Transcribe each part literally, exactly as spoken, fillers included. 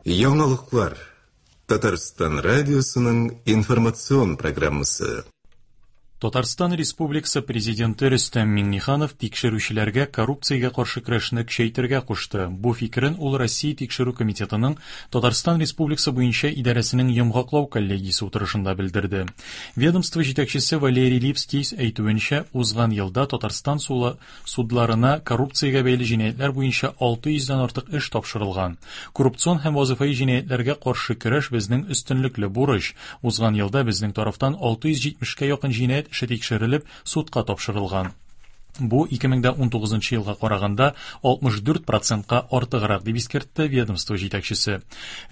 Яңалыклар. Татарстан радиосының информацион программасы. Татарстан Республикасы Президенты Рөстәм Миңнеханов тикшерүчеләргә коррупциягә каршы көрәшне көчәйтергә кушты. Бу фикерен ул Россия Тикшерү комитетының Татарстан Республикасы буенча идарәсенең йомгаклау коллегиясе утырышында белдерде. Ведомство җитәкчесе Валерий Липский әйтүенчә, узган елда Татарстан судларына коррупциягә бәйле җинаятьләр буенча алты йөздән артык эш тапшырылган. Коррупцион һәм вазифаи җинаятьләргә каршы көрәш безнең өстенлекле бурыч. Узган елда безнең тарафтан алты йөз җитмешкә якын җинаять эше тикшерелеп, судка тапшырылган. Бу ике мең дә унтугызынчы елга караганда алтмыш дүрт процентка артыграк, дип искәртте ведомство җитәкчесе.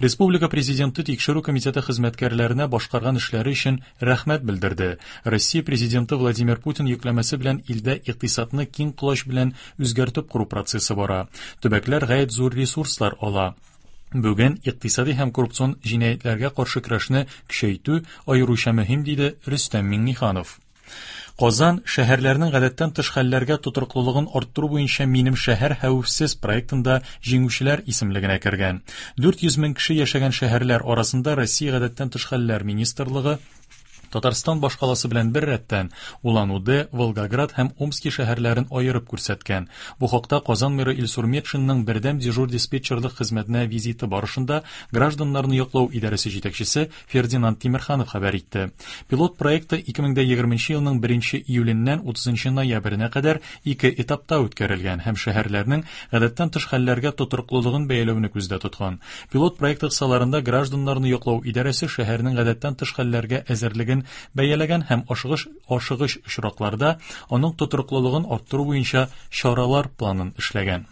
Республика президенты тикшерү комитеты хезмәткәрләренә башкарган эшләре өчен рәхмәт белдерде. Россия президенты Владимир Путин йөкләмәсе белән илдә икътисадны киң колач белән үзгәртеп кору процессы бара. Төбәкләр гаять зур ресурслар ала. Бүген икътисади һәм коррупцион җинаятьләргә каршы көрәшне көчәйтү аеруча мөһим, диде Рөстәм Миңнеханов. Казан шәһәрләренең гадәттән тыш хәлләргә тотрыклылыгын арттыру буенча Минем шәһәр хәвефсез проектында җиңүчеләр исемлегенә кергән. дүрт йөз мең кеше яшәгән шәһәрләр арасында Россия гадәттән тыш хәлләр министрлыгы Татарстан башкаласы белән бер рәттән Улан-Удэ, Волгоград һәм Омски шәһәрләрен аерып күрсәткән. Бу хакта Казан мэры Илсур Метшинның бердәм дежур диспетчерлык хезмәтенә визиты барышында гражданнарны яклау идарәсе җитәкчесе Фердинанд Тимерханов хәбәр итте. Пилот проекты ике мең дә егерменче елның беренче июленнән утызынчы ноябренә кадәр ике этапта үткәрелгән һәм шәһәрләрнең гадәттән тыш хәлләргә тотрыклылыгын бәяләүне күздә тоткан. Пилот проекты кысаларында гражданнарны яклау идарәсе шәһәрнең гадәттән тыш хәлләргә әзерлеген бәяләгән һәм ашыгыч, ашыгыч очракларда аның тотрыклылыгын арттыру буенча чаралар планын эшләгән.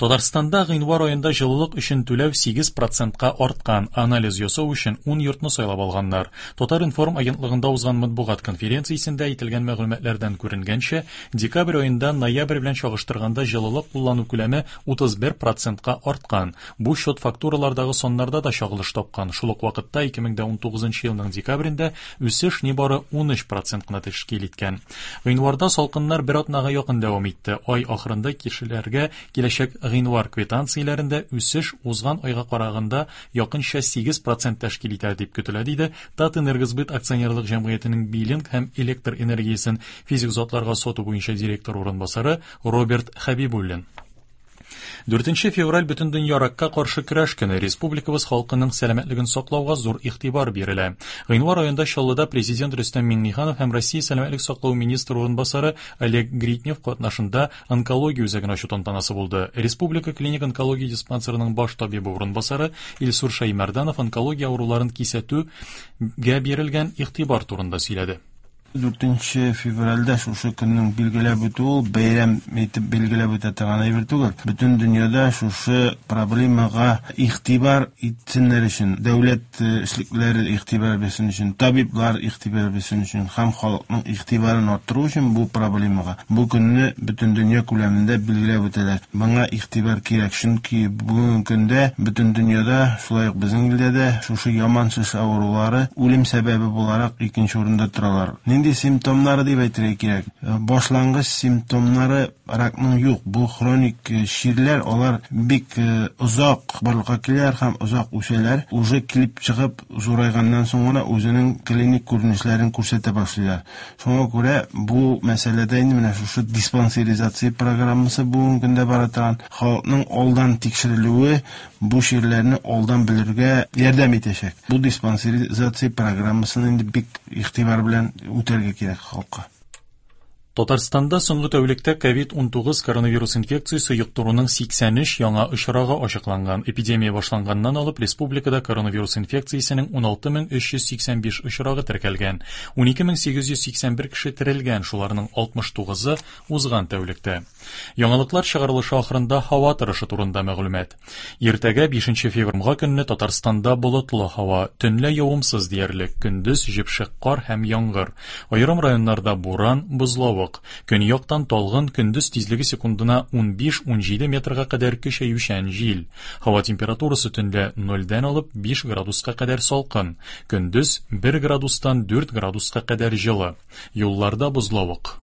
Татарстанда гыйнвар аенда җылылык өчен түләү сигез процентка арткан. Анализ ясау өчен ун йортны сайлап алганнар. Татар-информ агентлыгында узган матбугат конференциясендә әйтелгән мәгълүматлардан күренгәнчә, декабрь аенда ноябрь белән чагыштырганда җылылык куллану күләме утыз бер процентка арткан. Бу счет фактуралардагы саннарда да чагылыш тапкан. Шул ук вакытта ике мең дә унтугызынчы елның декабрендә үсеш нибары ун өч процент кына тәшкил иткән. Гыйнварда салкыннар бер атнага якын дәвам итте. Ай ахырында кешеләргә киләчәк гыйнвар квитанцияләрендә үсеш узган айга караганда якынча сигез процент тәшкил итәр дип көтелә, диде Татэнергосбыт акционерлык җәмгыятенең биллинг һәм электр энергиясен физик затларга сату буенча директор урынбасары Роберт Хәбибуллин. Дүртенче февраль Бөтендөнья ракка каршы көрәш көне. Республикабыз халкының сәламәтлеген саклауга зур игътибар бирелә. Гыйнвар аенда Чаллыда президент Рөстәм Миңнеханов һәм Россия сәламәтлек саклау министры урынбасары Олег Гритнев катнашында онкология үзәген ачу тантанасы булды. Республика клиник онкология диспансерының баш табибы урынбасары Илсур Шаймарданов онкология авыруларын кисәтүгә бирелгән игътибар турында сөйләде. Дүртенче февральдә шушы көннең билгеләп үтүе ул бәйрәм итеп билгеләп үтә торган әйбер түгел. Бөтен дөньяда шушы проблемага игътибар итсеннәр өчен, дәүләт эшлеклеләре игътибар бирсен өчен, табиблар игътибар бирсен өчен һәм халыкның игътибарын арттыру өчен бу проблемага бу көнне бөтен дөнья күләмендә билгеләп үтәләр. Моңа игътибар кирәк, чөнки бүгенге көндә бөтен дөньяда, шулай ук безнең илдә дә шушы яман шеш авырулары үлем сәбәбе буларак икенче урында торалар. Нинди симптомнары дип әйтергә кирәк? Башлангыч симптомнары ракның юк. Бу хроник чирләр, алар бик озак барлыкка киләләр һәм озак үсәләр. Уже килеп чыгып зурайганнан соң гына үзенең клиник күренешләрен күрсәтә башлыйлар. Шуңа күрә бу мәсьәләдә инде менә шушы диспансеризация программасы бүгенге көндә бара торган халыкның алдан тикшерелүе бу чирләрне алдан белергә ярдәм итәчәк. Бу диспансеризация программасын инде бик игътибар белән үтәргә кирәк халыкка. Татарстанда соңгы тәүлектә ковид унтугыз коронавирус инфекциясе йоктыруның сиксән өч яңа очрагы ачыкланган. Эпидемия башланганнан алып республикада коронавирус инфекциясенең уналты мең өч йөз сиксән биш очрагы теркәлгән. Унике мең сигез йөз сиксән бер кеше терелгән, шуларның алтмыш тугызы узган тәүлектә. Яңалыклар чыгарылышы ахырында һава торышы турында мәгълүмат. Иртәгә бишенче февральгә көнне Татарстанда болытлы һава, төнлә явымсыз диярлек, көндез җепшек кар һәм яңгыр. Аерым районнарда буран, бозлавык. Көньяктан талгын, көндез тизлеге секундына ун биш-ун җиде метрга кадәр көчәючән җил. Һава температурасы төнлә нольдән алып биш градуска кадәр салкын, көндез бер градустан дүрт градуска кадәр җылы. Юлларда бозлавык.